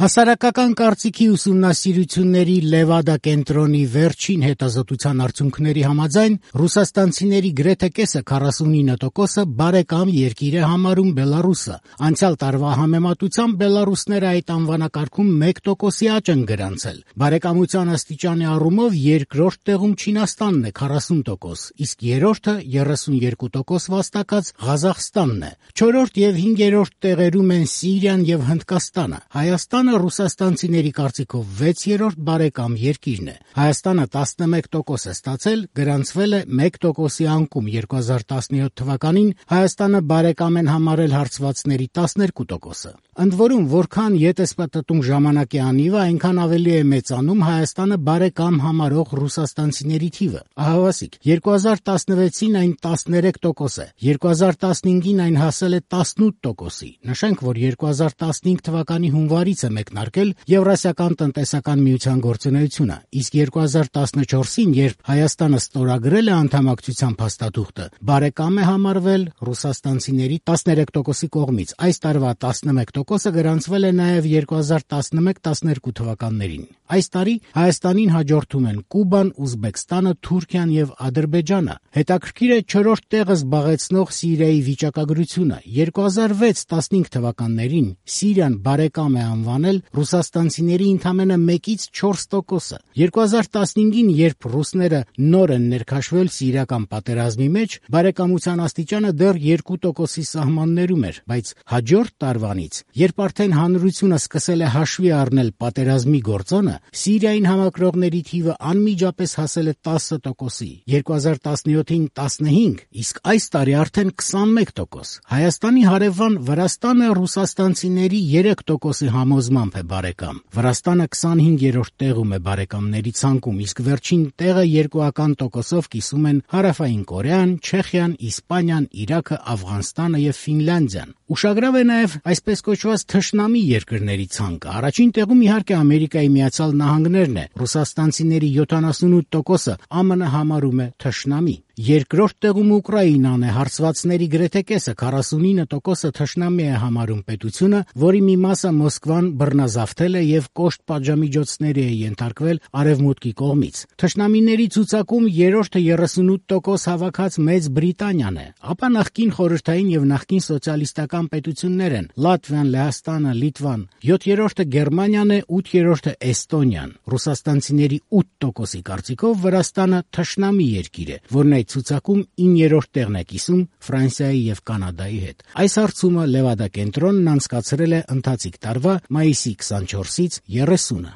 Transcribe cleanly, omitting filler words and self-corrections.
Հասարակական կարծիքի ուսումնասիրությունների Լևադա կենտրոնի վերջին հետազոտության արդյունքների համաձայն ռուսաստանցիների գրեթե կեսը 49% բարեկամ երկիր է համարում Բելարուսը։ Անցյալ տարվա համեմատությամբ բելարուսները այդ անվանակարգում 1%-ի աճ են գրանցել։ Բարեկամության աստիճանի առումով երկրորդ տեղում Չինաստանն է 40%, իսկ երրորդը 32% վաստակած Ղազախստանն է։ Չորրորդ եւ հինգերորդ տեղերում են Սիրիան եւ Հնդկաստանը։ Հայաստանը ռուսաստանցիների կարծիքով 6-րդ բարեկամ երկիրն է։ Հայաստանը 11% է ստացել, գրանցվել է 1%-ի անկում։ 2017 թվականին Հայաստանը բարեկամ են համարել հարցվածների 12%-ը։ Ընդ որում, որքան ԵՏՍՊՏ-ում ժամանակի անիվը, այնքան ավելի է մեծանում Հայաստանը բարեկամ համարող ռուսաստանցիների թիվը։ Ահավասիկ, 2016-ին այն 13% է, 2015-ին այն հասել է 18%-ի։ Նշենք, որ 2015 թվականի հունվարից է մեկնարկել Եվրասիական տնտեսական միության գործունեությունը, իսկ 2014-ին, երբ Հայաստանը ստորագրել է անդամակցության փաստաթուղթը, բարեկամ է համարվել ռուսաստանցիների 13%-ի կողմից։ Այս տարվա 11%-ը գրանցվել է նաև 2011-12 թվականներին։ Այս տարի Հայաստանին հաջորդում են Կուբան, Ուզբեկստանը, Թուրքիան եւ Ադրբեջանը։ Հետաքրքիր է չորրորդ տեղը զբաղեցնող Սիրիայի վիճակագրությունը։ 2006-15 թվականներին Սիրիան բարեկամ է անվանել ռուսաստանցիների ընդամենը 1-ից 4%-ը։ 2015-ին, երբ ռուսները նոր են ներքաշվել սիրիական պատերազմի մեջ, բարեկամության աստիճանը դեռ 2%-ի սահմաններում էր, բայց հաջորդ տարվանից, երբ արդեն հանրությունը սկսել է հաշվի առնել պատերազմի գործոնը, Սիրիային համակրողների թիվը անմիջապես հասել է 10%-ի, 2017-ին 15, իսկ այս տարի արդեն 21%։ Հայաստանի հարևան Վրաստանը ռուսաստանցիների 3%-ի համոզմամբ է բարեկամ։ Վրաստանը 25-րդ տեղում է բարեկամների ցանկում, իսկ վերջին տեղը 2% կիսում են Հարավային Կորեան, Չեխիան, Իսպանիան, Իրաքը, Աֆղանստանը եւ Ֆինլանդիան։ Ուշագրավ է նաև այսպես կոչված թշնամի երկրների ցանկը։ Առաջին տեղում իհարկե Ամերիկայի Միացյալ Նահանգներն է։ Ռուսաստանցիների 78%-ը ԱՄՆ համարում է թշնամի։ Երկրորդ տեղում Ուկրաինան է, հարցվածների գրեթե կեսը 49%-ը թշնամի է համարում պետությունը, որի մի մասը Մոսկվան բռնազավթել է եւ կոշտ պատժամիջոցների է ենթարկվել Արևմուտքի կողմից։ Թշնամիների ցուցակում երրորդը 38% հավաքած Մեծ Բրիտանիան է, ապա նախկին խորհրդային եւ նախկին սոցիալիստական պետություններ են Լատվիան, Լեհաստանը, Լիտվան, 7-րդը Գերմանիան է, 8-րդը Էստոնիան։ Ռուսաստանցիների 8%-ի կարծիքով Վրաստանը թշնամի երկիր է, որն այդ ցուցակում 9-րդ տեղն է կիսում Ֆրանսիայի եւ Կանադայի հետ։ Այս հարցումը Լևադա կենտրոնն անցկացրել է ընթացիկ տարվա մայիսի 24-ից 30-ը։